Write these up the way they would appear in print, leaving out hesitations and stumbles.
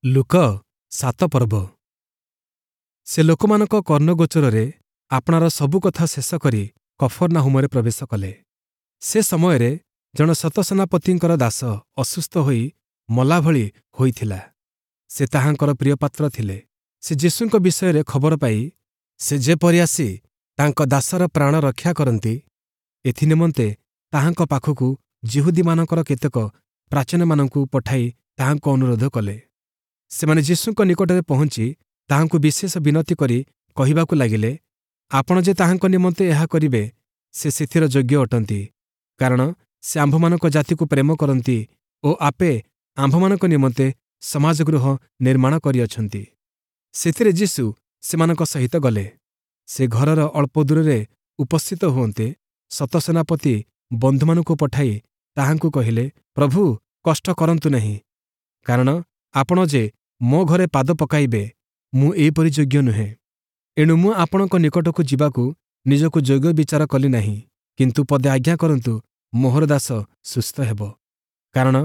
ଲୂକ 7 ପର୍ବ। ସେ ଲୋକମାନଙ୍କ କର୍ଣ୍ଣଗୋଚରରେ ଆପଣାର ସବୁ କଥା ଶେଷ କରି କଫର୍ନାହୂମରେ ପ୍ରବେଶ କଲେ। ସେ ସମୟରେ ଜଣେ ଶତସେନାପତିଙ୍କର ଦାସ ଅସୁସ୍ଥ ହୋଇ ମଲା ଭଳି ହୋଇଥିଲା। ସେ ତାହାଙ୍କର ପ୍ରିୟପାତ୍ର ଥିଲେ। ସେ ଯୀଶୁଙ୍କ ବିଷୟରେ ଖବର ପାଇ ସେ ଯେପରି ଆସି ତାଙ୍କ ଦାସର ପ୍ରାଣ ରକ୍ଷା କରନ୍ତି, ଏଥିନିମନ୍ତେ ତାହାଙ୍କ ପାଖକୁ ଯିହୁଦୀମାନଙ୍କର କେତେକ ପ୍ରାଚୀନମାନଙ୍କୁ ପଠାଇ ତାହାଙ୍କୁ ଅନୁରୋଧ କଲେ। ସେମାନେ ଯୀଶୁଙ୍କ ନିକଟରେ ପହଞ୍ଚି ତାହାଙ୍କୁ ବିଶେଷ ବିନତି କରି କହିବାକୁ ଲାଗିଲେ, ଆପଣ ଯେ ତାହାଙ୍କ ନିମନ୍ତେ ଏହା କରିବେ, ସେ ସେଥିର ଯୋଗ୍ୟ ଅଟନ୍ତି, କାରଣ ସେ ଆମ୍ଭମାନଙ୍କ ଜାତିକୁ ପ୍ରେମ କରନ୍ତି ଓ ଆପେ ଆମ୍ଭମାନଙ୍କ ନିମନ୍ତେ ସମାଜଗୃହ ନିର୍ମାଣ କରିଅଛନ୍ତି। ସେଥିରେ ଯୀଶୁ ସେମାନଙ୍କ ସହିତ ଗଲେ। ସେ ଘରର ଅଳ୍ପ ଦୂରରେ ଉପସ୍ଥିତ ହୁଅନ୍ତେ, ଶତସେନାପତି ବନ୍ଧୁମାନଙ୍କୁ ପଠାଇ ତାହାଙ୍କୁ କହିଲେ, ପ୍ରଭୁ, କଷ୍ଟ କରନ୍ତୁ ନାହିଁ, କାରଣ ଆପଣ ଯେ ମୋ ଘରେ ପାଦ ପକାଇବେ, ମୁଁ ଏହିପରି ଯୋଗ୍ୟ ନୁହେଁ। ଏଣୁ ମୁଁ ଆପଣଙ୍କ ନିକଟକୁ ଯିବାକୁ ନିଜକୁ ଯୋଗ୍ୟ ବିଚାର କଲି ନାହିଁ, କିନ୍ତୁ ପଦେ ଆଜ୍ଞା କରନ୍ତୁ, ମୋହର ଦାସ ସୁସ୍ଥ ହେବ। କାରଣ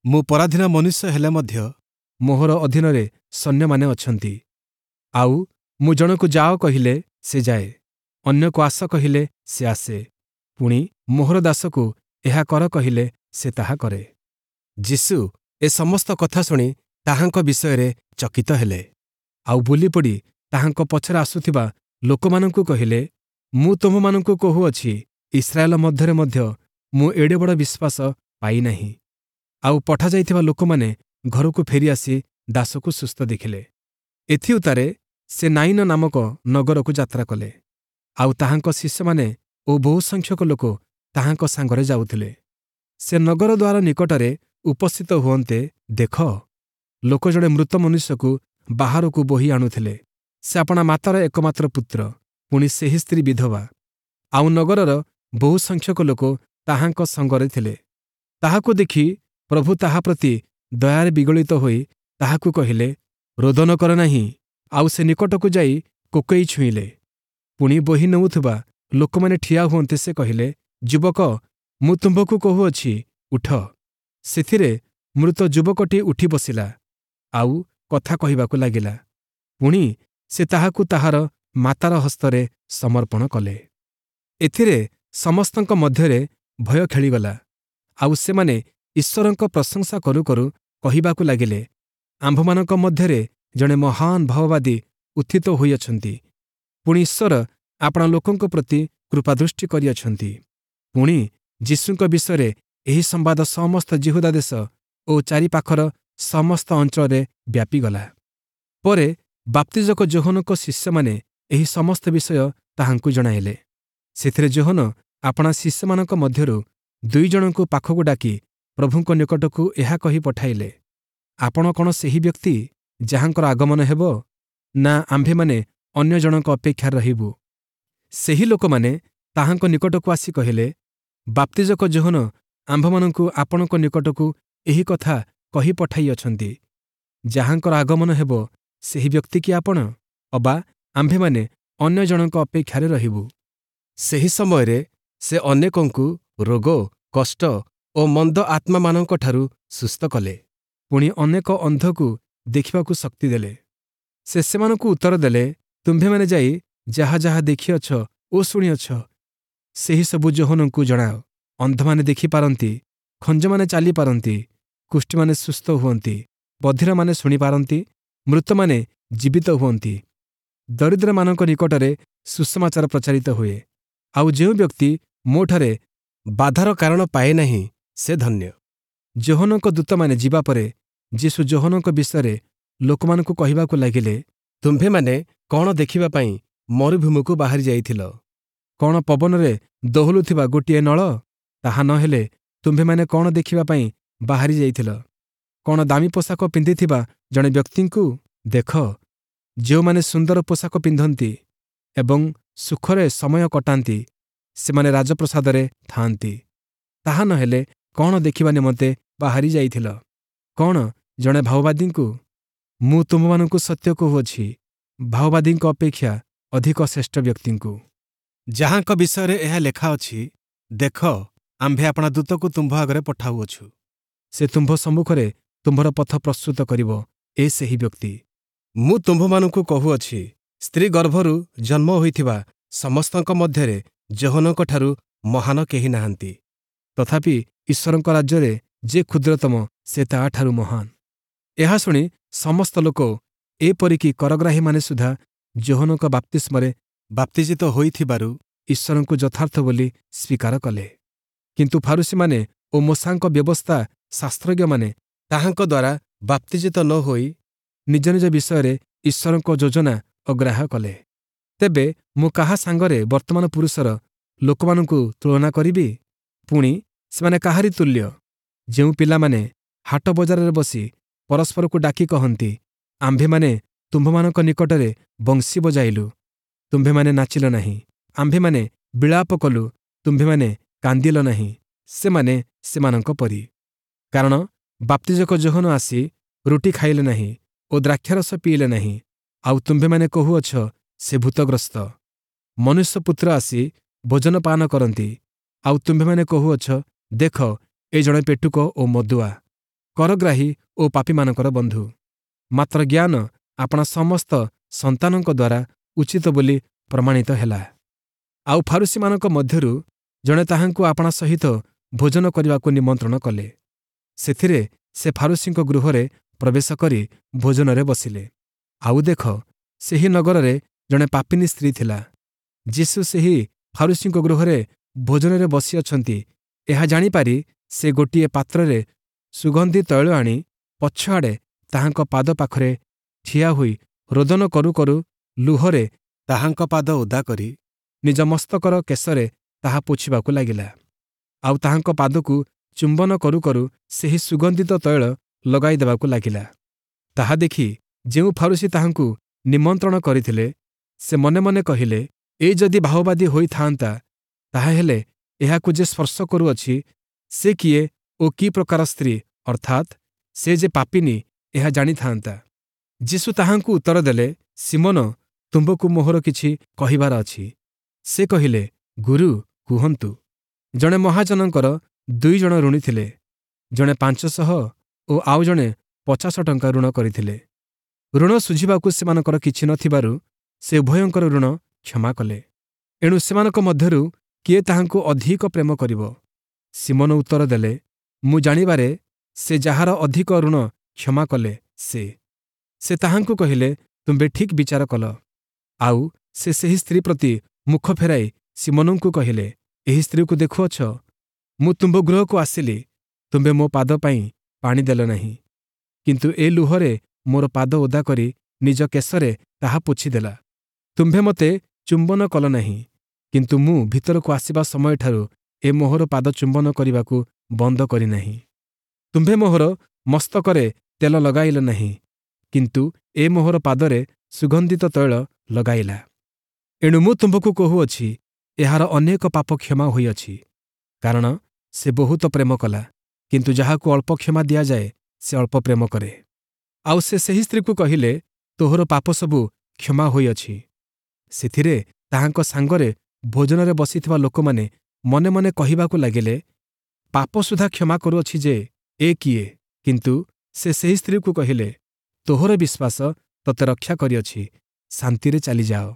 ମୁଁ ପରାଧୀନ ମନୁଷ୍ୟ ହେଲେ ମଧ୍ୟ ମୋହର ଅଧୀନରେ ସୈନ୍ୟମାନେ ଅଛନ୍ତି। ଆଉ ମୁଁ ଜଣକୁ ଯାଅ କହିଲେ ସେ ଯାଏ, ଅନ୍ୟକୁ ଆସ କହିଲେ ସେ ଆସେ, ପୁଣି ମୋହର ଦାସକୁ ଏହା କର କହିଲେ ସେ ତାହା କରେ। ଯୀଶୁ ଏ ସମସ୍ତ କଥା ଶୁଣି ତାହାଙ୍କ ବିଷୟରେ ଚକିତ ହେଲେ, ଆଉ ବୁଲିପଡ଼ି ତାହାଙ୍କ ପଛରେ ଆସୁଥିବା ଲୋକମାନଙ୍କୁ କହିଲେ, ମୁଁ ତୁମ୍ଭମାନଙ୍କୁ କହୁଅଛି, ଇସ୍ରାଏଲ ମଧ୍ୟରେ ମଧ୍ୟ ମୁଁ ଏଡ଼େ ବଡ଼ ବିଶ୍ୱାସ ପାଇନାହିଁ। ଆଉ ପଠାଯାଇଥିବା ଲୋକମାନେ ଘରକୁ ଫେରିଆସି ଦାସକୁ ସୁସ୍ଥ ଦେଖିଲେ। ଏଥିଉତ୍ତାରେ ସେ ନାଇନ ନାମକ ନଗରକୁ ଯାତ୍ରା କଲେ। ଆଉ ତାହାଙ୍କ ଶିଷ୍ୟମାନେ ଓ ବହୁସଂଖ୍ୟକ ଲୋକ ତାହାଙ୍କ ସାଙ୍ଗରେ ଯାଉଥିଲେ। ସେ ନଗର ଦ୍ୱାର ନିକଟରେ ଉପସ୍ଥିତ ହୁଅନ୍ତେ, ଦେଖ, ଲୋକ ଜଣେ ମୃତ ମନୁଷ୍ୟକୁ ବାହାରକୁ ବୋହି ଆଣୁଥିଲେ। ସେ ଆପଣା ମାତାର ଏକମାତ୍ର ପୁତ୍ର, ପୁଣି ସେହି ସ୍ତ୍ରୀ ବିଧବା। ଆଉ ନଗରର ବହୁସଂଖ୍ୟକ ଲୋକ ତାହାଙ୍କ ସଙ୍ଗରେ ଥିଲେ। ତାହାକୁ ଦେଖି ପ୍ରଭୁ ତାହା ପ୍ରତି ଦୟାରେ ବିଗଳିତ ହୋଇ ତାହାକୁ କହିଲେ, ରୋଦନ କର ନାହିଁ। ଆଉ ସେ ନିକଟକୁ ଯାଇ କୋକେଇ ଛୁଇଁଲେ। ପୁଣି ବୋହି ନେଉଥିବା ଲୋକମାନେ ଠିଆ ହୁଅନ୍ତେ ସେ କହିଲେ, ଯୁବକ, ମୁଁ ତୁମ୍ଭକୁ କହୁଅଛି, ଉଠ। ସେଥିରେ ମୃତ ଯୁବକଟି ଉଠି ବସିଲା, ଆଉ କଥା କହିବାକୁ ଲାଗିଲା। ପୁଣି ସେ ତାହାକୁ ତାହାର ମାତାର ହସ୍ତରେ ସମର୍ପଣ କଲେ। ଏଥିରେ ସମସ୍ତଙ୍କ ମଧ୍ୟରେ ଭୟ ଖେଳିଗଲା, ଆଉ ସେମାନେ ଈଶ୍ୱରଙ୍କ ପ୍ରଶଂସା କରୁ କରୁ କହିବାକୁ ଲାଗିଲେ, ଆମ୍ଭମାନଙ୍କ ମଧ୍ୟରେ ଜଣେ ମହାନ ଭାବବାଦୀ ଉତ୍ଥିତ ହୋଇଅଛନ୍ତି, ପୁଣି ଈଶ୍ୱର ଆପଣା ଲୋକଙ୍କ ପ୍ରତି କୃପାଦୃଷ୍ଟି କରିଅଛନ୍ତି। ପୁଣି ଯୀଶୁଙ୍କ ବିଷୟରେ ଏହି ସମ୍ବାଦ ସମସ୍ତ ଯିହୁଦା ଦେଶ ଓ ଚାରିପାଖର ସମସ୍ତ ଅଞ୍ଚଳରେ ବ୍ୟାପିଗଲା। ପରେ ବାପ୍ତିଜକ ଯୋହନଙ୍କ ଶିଷ୍ୟମାନେ ଏହି ସମସ୍ତ ବିଷୟ ତାହାଙ୍କୁ ଜଣାଇଲେ। ସେଥିରେ ଯୋହନ ଆପଣା ଶିଷ୍ୟମାନଙ୍କ ମଧ୍ୟରୁ 2 ଜଣଙ୍କୁ ପାଖକୁ ଡାକି ପ୍ରଭୁଙ୍କ ନିକଟକୁ ଏହା କହି ପଠାଇଲେ, ଆପଣ କ'ଣ ସେହି ବ୍ୟକ୍ତି ଯାହାଙ୍କର ଆଗମନ ହେବ, ନା ଆମ୍ଭେମାନେ ଅନ୍ୟ ଜଣଙ୍କ ଅପେକ୍ଷାରେ ରହିବୁ? ସେହି ଲୋକମାନେ ତାହାଙ୍କ ନିକଟକୁ ଆସି କହିଲେ, ବାପ୍ତିଜକ ଯୋହନ ଆମ୍ଭମାନଙ୍କୁ ଆପଣଙ୍କ ନିକଟକୁ ଏହି କଥା କହି ପଠାଇଅଛନ୍ତି, ଯାହାଙ୍କର ଆଗମନ ହେବ ସେହି ବ୍ୟକ୍ତି କି ଆପଣ, ଅବା ଆମ୍ଭେମାନେ ଅନ୍ୟ ଜଣଙ୍କ ଅପେକ୍ଷାରେ ରହିବୁ? ସେହି ସମୟରେ ସେ ଅନେକଙ୍କୁ ରୋଗ, କଷ୍ଟ ଓ ମନ୍ଦ ଆତ୍ମାମାନଙ୍କଠାରୁ ସୁସ୍ଥ କଲେ। ପୁଣି ଅନେକ ଅନ୍ଧକୁ ଦେଖିବାକୁ ଶକ୍ତି ଦେଲେ। ସେ ସେମାନଙ୍କୁ ଉତ୍ତର ଦେଲେ, ତୁମ୍ଭେମାନେ ଯାଇ ଯାହା ଯାହା ଦେଖିଅଛ ଓ ଶୁଣିଅଛ, ସେହି ସବୁ ଯୋହନଙ୍କୁ ଜଣାଅ। ଅନ୍ଧମାନେ ଦେଖିପାରନ୍ତି, ଖଞ୍ଜମାନେ ଚାଲିପାରନ୍ତି, କୁଷ୍ଠୀମାନେ ସୁସ୍ଥ ହୁଅନ୍ତି, ବଧିରମାନେ ଶୁଣିପାରନ୍ତି, ମୃତମାନେ ଜୀବିତ ହୁଅନ୍ତି, ଦରିଦ୍ରମାନଙ୍କ ନିକଟରେ ସୁସମାଚାର ପ୍ରଚାରିତ ହୁଏ। ଆଉ ଯେଉଁ ବ୍ୟକ୍ତି ମୋଠାରେ ବାଧାର କାରଣ ପାଏ ନାହିଁ, ସେ ଧନ୍ୟ। ଯୋହନଙ୍କ ଦୂତମାନେ ଯିବା ପରେ ଯୀଶୁ ଯୋହନଙ୍କ ବିଷୟରେ ଲୋକମାନଙ୍କୁ କହିବାକୁ ଲାଗିଲେ, ତୁମ୍ଭେମାନେ କ'ଣ ଦେଖିବା ପାଇଁ ମରୁଭୂମିକୁ ବାହାରି ଯାଇଥିଲ? କ'ଣ ପବନରେ ଦୋହଲୁଥିବା ଗୋଟିଏ ନଳ? ତାହା ନ ହେଲେ ତୁମ୍ଭେମାନେ କ'ଣ ଦେଖିବା ପାଇଁ ବାହାରି ଯାଇଥିଲ? କ'ଣ ଦାମୀ ପୋଷାକ ପିନ୍ଧିଥିବା ଜଣେ ବ୍ୟକ୍ତିଙ୍କୁ? ଦେଖ, ଯେଉଁମାନେ ସୁନ୍ଦର ପୋଷାକ ପିନ୍ଧନ୍ତି ଏବଂ ସୁଖରେ ସମୟ କଟାନ୍ତି, ସେମାନେ ରାଜପ୍ରସାଦରେ ଥାଆନ୍ତି। ତାହା ନ ହେଲେ କ'ଣ ଦେଖିବା ନିମନ୍ତେ ବାହାରି ଯାଇଥିଲ? କ'ଣ ଜଣେ ଭାଓବାଦୀଙ୍କୁ? ମୁଁ ତୁମ୍ଭମାନଙ୍କୁ ସତ୍ୟ କହୁଅଛି, ଭାଓବାଦୀଙ୍କ ଅପେକ୍ଷା ଅଧିକ ଶ୍ରେଷ୍ଠ ବ୍ୟକ୍ତିଙ୍କୁ। ଯାହାଙ୍କ ବିଷୟରେ ଏହା ଲେଖା ଅଛି, ଦେଖ, ଆମ୍ଭେ ଆପଣା ଦୂତକୁ ତୁମ୍ଭ ଆଗରେ ପଠାଉଅଛୁ, ସେ ତୁମ୍ଭ ସମ୍ମୁଖରେ ତୁମ୍ଭର ପଥ ପ୍ରସ୍ତୁତ କରିବ। ଏ ସେହି ବ୍ୟକ୍ତି। ମୁଁ ତୁମ୍ଭମାନଙ୍କୁ କହୁଅଛି, ସ୍ତ୍ରୀ ଗର୍ଭରୁ ଜନ୍ମ ହୋଇଥିବା ସମସ୍ତଙ୍କ ମଧ୍ୟରେ ଯୋହନଙ୍କଠାରୁ ମହାନ କେହି ନାହାନ୍ତି। ତଥାପି ଈଶ୍ୱରଙ୍କ ରାଜ୍ୟରେ ଯେ କ୍ଷୁଦ୍ରତମ, ସେ ତାହାଠାରୁ ମହାନ। ଏହା ଶୁଣି ସମସ୍ତ ଲୋକ, ଏପରିକି କରଗ୍ରାହୀମାନେ ସୁଦ୍ଧା ଯୋହନଙ୍କ ବାପ୍ତିସ୍ମରେ ବାପ୍ତିଜିତ ହୋଇଥିବାରୁ ଈଶ୍ୱରଙ୍କୁ ଯଥାର୍ଥ ବୋଲି ସ୍ୱୀକାର କଲେ। କିନ୍ତୁ ଫାରୂଶୀମାନେ ଓ ମୋଶାଙ୍କ ବ୍ୟବସ୍ଥା ଶାସ୍ତ୍ରଜ୍ଞମାନେ ତାହାଙ୍କ ଦ୍ୱାରା ବାପ୍ତିଜିତ ନ ହୋଇ ନିଜ ନିଜ ବିଷୟରେ ଈଶ୍ୱରଙ୍କ ଯୋଜନା ଅଗ୍ରାହ୍ୟ କଲେ। ତେବେ ମୁଁ କାହା ସାଙ୍ଗରେ ବର୍ତ୍ତମାନ ପୁରୁଷର ଲୋକମାନଙ୍କୁ ତୁଳନା କରିବି? ପୁଣି ସେମାନେ କାହାରି ତୁଲ୍ୟ? ଯେଉଁ ପିଲାମାନେ ହାଟ ବଜାରରେ ବସି ପରସ୍ପରକୁ ଡାକି କହନ୍ତି, ଆମ୍ଭେମାନେ ତୁମ୍ଭମାନଙ୍କ ନିକଟରେ ବଂଶୀ ବଜାଇଲୁ, ତୁମ୍ଭେମାନେ ନାଚିଲ ନାହିଁ; ଆମ୍ଭେମାନେ ବିଳାପ କଲୁ, ତୁମ୍ଭେମାନେ କାନ୍ଦିଲ ନାହିଁ। ସେମାନେ ସେମାନଙ୍କ ପରି। କାରଣ ବାପ୍ତିଜକ ଯୋହନ ଆସି ରୁଟି ଖାଇଲେ ନାହିଁ ଓ ଦ୍ରାକ୍ଷାରସ ପିଇଲେ ନାହିଁ, ଆଉ ତୁମ୍ଭେମାନେ କହୁଅଛ, ସେ ଭୂତଗ୍ରସ୍ତ। ମନୁଷ୍ୟପୁତ୍ର ଆସି ଭୋଜନପାନ କରନ୍ତି, ଆଉ ତୁମ୍ଭେମାନେ କହୁଅଛ, ଦେଖ, ଏ ଜଣେ ପେଟୁକ ଓ ମଦୁଆ, କରଗ୍ରାହୀ ଓ ପାପୀମାନଙ୍କର ବନ୍ଧୁ। ମାତ୍ର ଜ୍ଞାନ ଆପଣା ସମସ୍ତ ସନ୍ତାନଙ୍କ ଦ୍ୱାରା ଉଚିତ ବୋଲି ପ୍ରମାଣିତ ହେଲା। ଆଉ ଫାରୂଶୀମାନଙ୍କ ମଧ୍ୟରୁ ଜଣେ ତାହାଙ୍କୁ ଆପଣା ସହିତ ଭୋଜନ କରିବାକୁ ନିମନ୍ତ୍ରଣ କଲେ। ସେଥିରେ ସେ ଫାରୂଶୀଙ୍କ ଗୃହରେ ପ୍ରବେଶ କରି ଭୋଜନରେ ବସିଲେ। ଆଉ ଦେଖ, ସେହି ନଗରରେ ଜଣେ ପାପିନୀ ସ୍ତ୍ରୀ ଥିଲା। ଯୀଶୁ ସେହି ଫାରୂଶୀଙ୍କ ଗୃହରେ ଭୋଜନରେ ବସିଅଛନ୍ତି, ଏହା ଜାଣିପାରି ସେ ଗୋଟିଏ ପାତ୍ରରେ ସୁଗନ୍ଧି ତୈଳ ଆଣି ପଛଆଡ଼େ ତାହାଙ୍କ ପାଦ ପାଖରେ ଠିଆ ହୋଇ ରୋଦନ କରୁ କରୁ ଲୁହରେ ତାହାଙ୍କ ପାଦ ଓଦା କରି ନିଜ ମସ୍ତକର କେଶରେ ତାହା ପୋଛିବାକୁ ଲାଗିଲା। ଆଉ ତାହାଙ୍କ ପାଦକୁ ଚୁମ୍ବନ କରୁ କରୁ ସେହି ସୁଗନ୍ଧିତ ତୈଳ ଲଗାଇ ଦେବାକୁ ଲାଗିଲା। ତାହା ଦେଖି ଯେଉଁ ଫାରୂଶୀ ତାହାଙ୍କୁ ନିମନ୍ତ୍ରଣ କରିଥିଲେ, ସେ ମନେ ମନେ କହିଲେ, ଏ ଯଦି ଭାଓବାଦୀ ହୋଇଥାନ୍ତା, ତାହାହେଲେ ଏହାକୁ ଯେ ସ୍ପର୍ଶ କରୁଅଛି, ସେ କିଏ ଓ କି ପ୍ରକାର ସ୍ତ୍ରୀ, ଅର୍ଥାତ୍ ସେ ଯେ ପାପିନୀ, ଏହା ଜାଣିଥାନ୍ତା। ଯୀଶୁ ତାହାଙ୍କୁ ଉତ୍ତର ଦେଲେ, ଶିମୋନ, ତୁମ୍ଭକୁ ମୋହର କିଛି କହିବାର ଅଛି। ସେ କହିଲେ, ଗୁରୁ, କୁହନ୍ତୁ। ଜଣେ ମହାଜନଙ୍କର ଦୁଇ ଜଣ ଋଣୀ ଥିଲେ। ଜଣେ 500 ଓ ଆଉ ଜଣେ 50 ଟଙ୍କା ଋଣ କରିଥିଲେ। ଋଣ ଶୁଝିବାକୁ ସେମାନଙ୍କର କିଛି ନଥିବାରୁ ସେ ଉଭୟଙ୍କର ଋଣ କ୍ଷମା କଲେ। ଏଣୁ ସେମାନଙ୍କ ମଧ୍ୟରୁ କିଏ ତାହାଙ୍କୁ ଅଧିକ ପ୍ରେମ କରିବ? ଶିମୋନ ଉତ୍ତର ଦେଲେ, ମୁଁ ଜାଣିବାରେ ସେ ଯାହାର ଅଧିକ ଋଣ କ୍ଷମା କଲେ ସେ। ସେ ତାହାଙ୍କୁ କହିଲେ, ତୁମ୍ଭେ ଠିକ୍ ବିଚାର କଲ। ଆଉ ସେ ସେହି ସ୍ତ୍ରୀ ପ୍ରତି ମୁଖ ଫେରାଇ ଶିମୋନଙ୍କୁ କହିଲେ, ଏହି ସ୍ତ୍ରୀକୁ ଦେଖୁଅଛ? ମୁଁ ତୁମ୍ଭ ଗୃହକୁ ଆସିଲି, ତୁମ୍ଭେ ମୋ ପାଦ ପାଇଁ ପାଣି ଦେଲ ନାହିଁ, କିନ୍ତୁ ଏ ଲୁହରେ ମୋର ପାଦ ଓଦା କରି ନିଜ କେଶରେ ତାହା ପୋଛିଦେଲା। ତୁମ୍ଭେ ମୋତେ ଚୁମ୍ବନ କଲ ନାହିଁ, କିନ୍ତୁ ମୁଁ ଭିତରକୁ ଆସିବା ସମୟଠାରୁ ଏ ମୋହର ପାଦ ଚୁମ୍ବନ କରିବାକୁ ବନ୍ଦ କରିନାହିଁ। ତୁମ୍ଭେ ମୋହର ମସ୍ତକରେ ତେଲ ଲଗାଇଲ ନାହିଁ, କିନ୍ତୁ ଏ ମୋହର ପାଦରେ ସୁଗନ୍ଧିତ ତୈଳ ଲଗାଇଲା। ଏଣୁ ମୁଁ ତୁମ୍ଭକୁ କହୁଅଛି, ଏହାର ଅନେକ ପାପ କ୍ଷମା ହୋଇଅଛି, କାରଣ ସେ ବହୁତ ପ୍ରେମ କଲା। କିନ୍ତୁ ଯାହାକୁ ଅଳ୍ପ କ୍ଷମା ଦିଆଯାଏ, ସେ ଅଳ୍ପ ପ୍ରେମ କରେ। ଆଉ ସେ ସେହି ସ୍ତ୍ରୀକୁ କହିଲେ, ତୋହର ପାପ ସବୁ କ୍ଷମା ହୋଇଅଛି। ସେଥିରେ ତାହାଙ୍କ ସାଙ୍ଗରେ ଭୋଜନରେ ବସିଥିବା ଲୋକମାନେ ମନେ ମନେ କହିବାକୁ ଲାଗିଲେ, ପାପ ସୁଦ୍ଧା କ୍ଷମା କରୁଅଛି ଯେ ଏ କିଏ? କିନ୍ତୁ ସେ ସେହି ସ୍ତ୍ରୀକୁ କହିଲେ, ତୋହର ବିଶ୍ୱାସ ତୋତେ ରକ୍ଷା କରିଅଛି, ଶାନ୍ତିରେ ଚାଲିଯାଅ।